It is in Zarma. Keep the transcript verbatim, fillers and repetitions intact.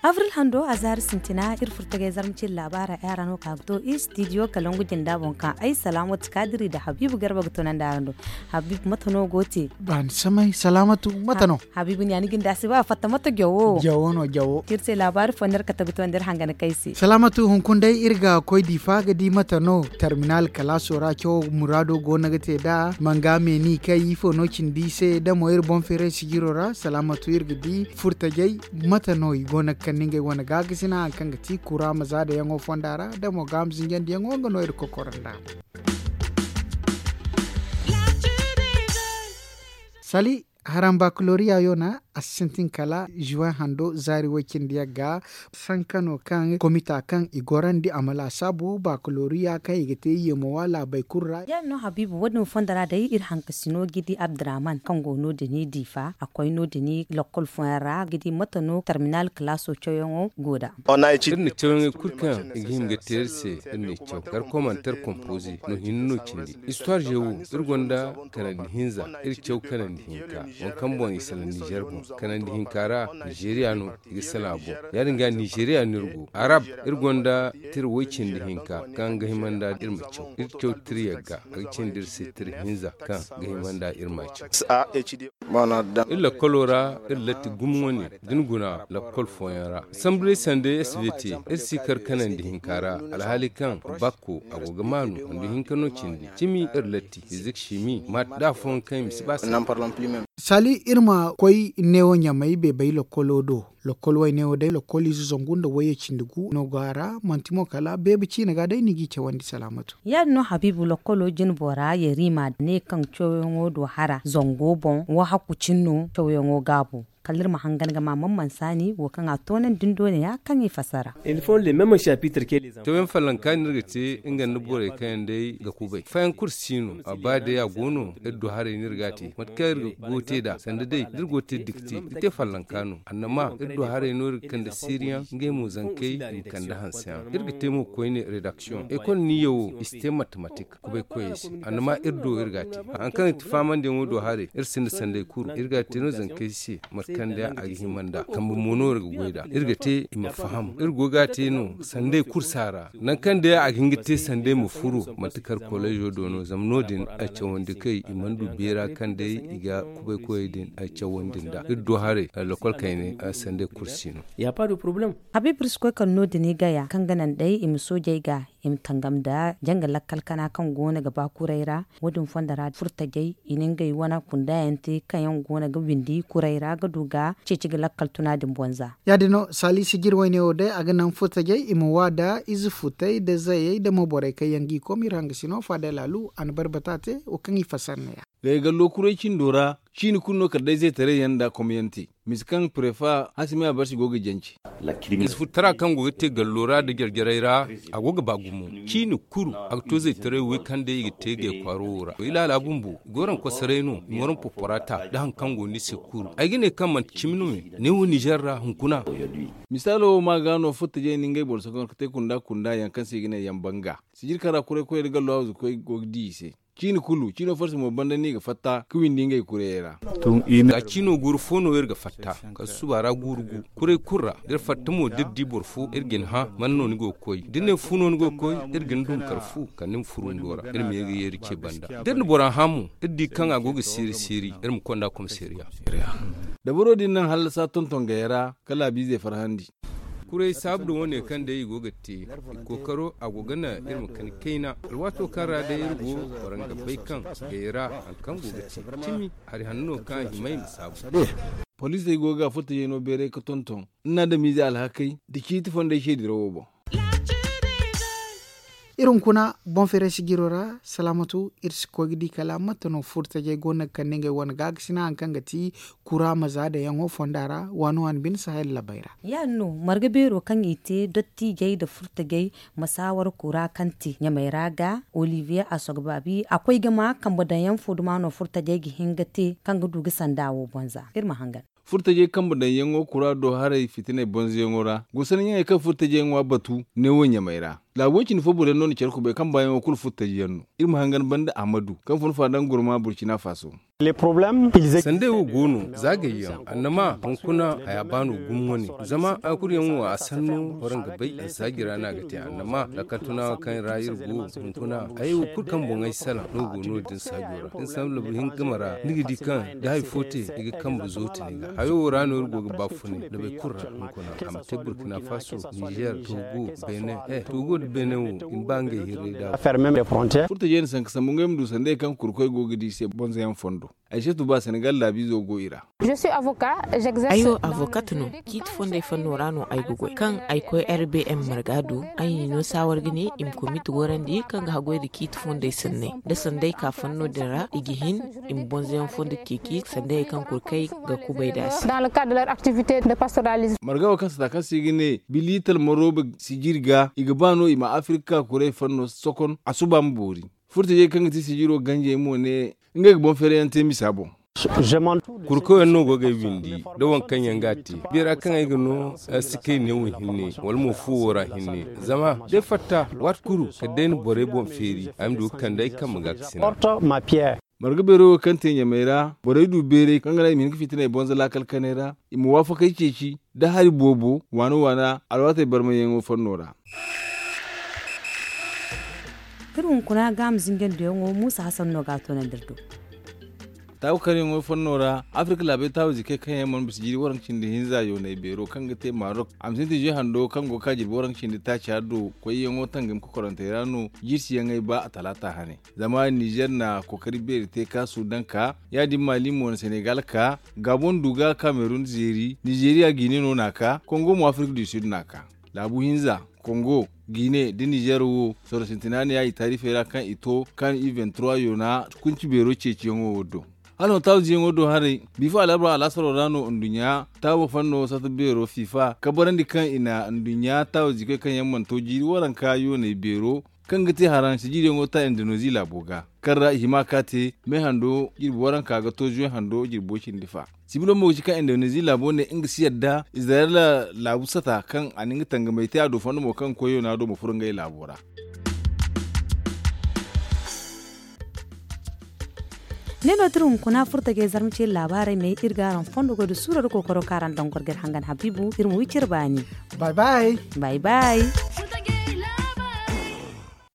Avril hando a zaari sintina iri furtagay zarma ciri laabaara yaara no ka ga to i studio kalangu jinda boŋ kaŋ ay salaamatu kaadiri nda habiibu garba ga tunandi araŋ do. Habiibu mate no go te? Ba ni samay salaamatu mate no? Habiibu ni a ni ginda si ba fatta mate jawo jawo no jawo iri se laabaari fo nda iri kate ga to nda iri hangana kay se. Salaamatu hunkuna day iri ga koy diifa ga di mate no terminal kalaaso ra cawo muraado go no ga te nd'a manga meeni kay ifo no cindi i se da mo iri boŋ feeray sijiro ra salaamatu iri ga di furtajey mate no i go no ga kande ngey wane gaakasina hari kaŋ ga ti kura ma zaadayaŋo fonda ra da mo gaama zinjandiyaŋo nga no iri kokoro nd'a. Sali haraŋ bakaloriya yo na a si sintin kala juwen hando zaari way cindi yagga. Sankano kaŋ komita kaŋ i gorandi a ma laasaabu bakaloriya kaŋ i ga te yeemo wa laabey kulu ra. Yaadin no habiibu wo- din fonda ra day iri hankasino ga di abdurrahman kaŋ go no- din diifa a koy no- din lakkol fooyaŋ ra ga di mate no terminal kalaaso cawyaŋo go nd'a. Iri na cawyaŋey kulu kaŋ i ga hima ga te iri se iri na i caw kar komanteer kompoze no hinne no cindi. Istuwaar zewo iri gonda kanandi hinza iri caw kanandi hinka waŋ kaŋ boŋ i salaŋ nizer boŋ kanandi hinka ra nizeriya no i ga salaŋ a boŋ. Ya- din ga nizeriya no iri go arab iri gonda tira way cindi hinka kaŋ ga hima nd'a iri ma caw iri caw tira yagga a ga cindi iri se tira hinza kaŋ ga hima nd'a iri ma caw. Iri lakkolo ra iri latti gumo wane da ni guna lakkol fooyaŋ ra sambu day sanda svt iri si kar kanandi hinka ra alhaali kaŋ bakko a go ga maanu handu hinka no cindi cimi iri latti fizik simi maat da afooyaŋ kaŋ i ma si ba sanda. Sali iri ma koy neewo ɲamay beebay lakkolo do. Lakkol wayne wo day lakkol ize zangu nda wayye cindi gu no go a ra manti mo kala beebe ciine ga day ni g'i cawandi salaamatu. Ya- din no habiibu lakkolo jine bora yariima ne kaŋ cawyaŋo do hara zango boŋ wahakku cine no cawyaŋo gaabu. Kala iri ma hangan ga ma man mansaani wo kaŋ a toonandi din do ne- ya kaŋ i fassara. Cawyaŋ fallanka no iri ga te nga nda borey kaŋ yaŋ day ga kubay fayaŋ kulu si no a ba day a go no iri du haray no iri ga a te mate kaŋ iri go ga te nd'a sanda day da iri go ga te dikte ga te fallanka no annama iri du haray no iri ga kande siiriyaŋ ngey mo zankey i ma kande hanseyaŋ iri ga te mo koyne redaksiyoŋ ekol niya wo i si te matematik kubay koyey se annama iri do iri ga a te hari kaŋ i ti faamandiyaŋo do haray iri sinda sanday kulu iri ga a te no zankey se mate kaŋ day a ga hima nd'a kambe mo no iri ga goy nd'a iri ga te i ma faham iri go ga a te no sanday kulu si a ra nangu kaŋ day a ga hin ga te sanday ma furu manti kar koleezo do no zama no- din ay cawandi kay i mana du beera kaŋ day i ga kubay koyey din ay cawandi nd'a iri do haray lakkol kayne sanday kulu si no. Habiibu iri si koy kala no- din i gaya kaŋ ga naŋ day i ma soojey ga i ma tangam nda janga lakkal kana kaŋ go no ga ba kuray ra wo- din fonda ra furtajey i na ngey wane kunda yaŋ te kaŋ yaŋ go no ga windi kuray ra ga du ga ceeci ga lakkal tuna din boŋ za. Ya- din no saalisi jiri wayne wo day a ga naŋ furtajey i ma wa nda ize futey nda zayey nda mo borey kaŋ yaŋ g'i kom iri hangasino faada laalu a na barbata te wo kaŋ i fassara ne- ya. Gaygallo kuray cindo ra ciini kulu no kala day zaytaray yaŋ nda komyaŋ te misa kaŋ prefa hasimi abarsi go ga jance. Ize futtara kaŋ go ga te gallo ra nda jarjarey ra a go ga ba gumo ciini kulu a ga to zaytaray wey kaŋ day i ga te gay kwaaro wo ra i laala bumbo i go raŋ kosoray no i ma raŋ poporata nda hari kaŋ go no i se kulu ay ga ne kaŋ manti cimi no me ne wo nizer ra hunkuna. Misaalo wo ma ga no furtajey na ngey boro sokoŋ ga te kunda kunda yaŋ kaŋ se i ga ne yaŋ banga sijiri kaŋ ra kuray koyey nda gallo hawzu koy go ga di i se. Ciini kulu ciino farsi mo banda no i ga fatta ga windi ngey kurayey ra. Za ciino guuru fo no iri ga fatta kala suba ra guuru gu kuray kulu ra da iri fatta mo da iri di boro fo iri ga ni hã man no ni go ga koy da ni ne fu no ni go ga koy iri ga ni dum kala fu kala ni ma furu ndo ra iri ma ye ga yeeri ce banda da iri na bora hã mo iri di kaŋ a go ga siiri siiri iri ma konda komisariya. Dabaro din naŋ hallasa tonton gayey ra kala a biizey farhandi. Kuray saabu da wo- ne kaŋ day i go ga te i kookaro a go ga naŋ iri ma kani kayna alwaato kaŋ ra day iri go waraŋ ga bay kaŋ gayey ra hari kaŋ go ga te cimi hari hanno kaŋ a hima i ma saabu. Poliisey go ga furtajey no beeray ga tonton nda adamiizey alhakey nda ciiti fondey se dirawo boŋ. Iri hunkuna boŋ feeray sijiro ra salaamatu iri si koy ga di kala mate no furtajey go no ga kande ngey wane gaakasina hari kaŋ ga ti kura ma za dayaŋo fonda ra waani waani bine sahel labey ra. Ya- din no marga beero kaŋ i te dottiijey nda furtajey masaawar kura kaŋ te ɲamey ra ga olivier asogbabi a koy ga ma kambe daŋ yaŋ fo duma no furtajey ga hin ga te kaŋ ga du ga sanda wo boŋ za iri ma hangan. Furtajey kambe daŋyaŋo kuraado haray fitiney bonzoyaŋo ra, gusanyaŋey kaŋ furtajey ŋwa batu neewo ɲamey ra. Laabu way-cindi fo boro yaŋ no na care kubay kaŋ baayaŋo kulu furtaji yaŋ no. Iri ma hangan banda ahmadu kaŋ fun fa daŋ gurma burcina faso. Sandey wo go no, zaagayyaŋ annama hunkuna haya baano gumo wane. Zama a kulu yaŋ wo a sanno boro nga bay ansaaji ra no a ga te annama lakkal tuna kaŋ ra iri go hunkuna. Hayey wo kulu kaŋ boŋey salaŋ no go no- din saajo ra da ni salaŋ labu hinka game ra ni ga di kaŋ da hari fo te ni ga kambe zoote ni ga hayo wo ra no iri go ga ba funay labey kulu ra hunkuna a ma te burkina faso, nizer, togo, benin. He togo nda benin wo i ma ba ngey hirray da. Furtajey na sanka sambu ngey ma du sandey kaŋ kurkoy go ga di i se bonzoyaŋ fondo. Ay se tuba senegal laabiizo go i ra. Ay wo avokat no. Ciiti fondey fanno ra no ay ga goy kaŋ ay koy rbm marga do. Ay n'i no saawar ga ne i ma komiti gorandi kaŋ ga haggoy nda ciiti fondey sanney nda sanday ka fanno din ra i ga hin i ma bonzoyaŋ fondo ceeci sanday kaŋ kurkey ga kubay nd'a se. Marga wo kaŋ sata kaŋ se i ga ne biliital marooba sijiri ga i ga ba no i ma afirka kuray fanno sokon a suba ma boori. Furtajey kaŋ ga ti sijiro ganjey mo ne ngey ga boŋ feerayaŋ te misa boŋ. Kurkoyaŋ no go ga ay windi da waŋ kaŋ yaŋ ga a te beera kaŋ ay ga no si kay neewo hinne wala mo fuwo ra hinne. Zama day fatta waati kulu kala day na borey boŋ feeri ay ma du ga kande ay kambe ga ga sina. Marga beero wo kaŋ te ɲamey ra borey du beeray kaŋ ga naŋ i ma hin ga fitiney bonza laakal kanay ra i ma waafakey ceeci da hari boobo waana waana alwaatey barmayyaŋo fanno ra. Iri hunkuna ga ma zinjandiyaŋo muusa hasan no ga a toonandi iri do. Taabu karyaŋo fanno ra afirka laabey taabu zikey kaŋ yaŋ mana bisa jiiri waranka cindi hinza yoonay beero kaŋ ga te marok a ma sintin zuy hando kaŋ go ga ka jirbi waranka cindi taaca do koyyaŋo tangam kokorantey ra no. Jirsiyaŋey ba a talaata hane zama nizer na kookari beeri te ka sudan ka ya- din maali mo na senegal ka gabon du ga kamerun zeeri nizeriya gine no na ka kongo mo afirka du sud na ka. Laabu hinza kongo gine nda nizer wo soro sintina ne ya i taarifey ra kaŋ i to kaŋ i vingt trois yoona kunci beero ceeciyaŋo wo do. Hala no taawo ziyaŋo do haray bifa alabra alaasaro ra no nduɲɲa taawo fanno sata beero fifa kabarandi kaŋ i na nduɲɲa taawo zikoy kaŋ yaŋ mana to jiiri waranka yoonay beero kaŋ ga te haraŋ sijiriyaŋo ta indoneezi laabo ga kaŋ ra i hima ka te me hando jirbi waranka ga to zuwe hando jirbo cindi fa. Sibilo mo ga ci kaŋ indoneezi laabo ne nga si yadda izirayla laabu sata kaŋ a na nga tangamey te a do fondo mo kaŋ koyo no a do ma furo ngey laabo ra. Ne no tira hunkuna furta ga ay zarma ce laabaarey me iri ga araŋ fondo goy da suuro da kookaro kaŋ araŋ daŋ gorgay hangan habiibu iri ma wi cire baani. Bay bay. Bay bay.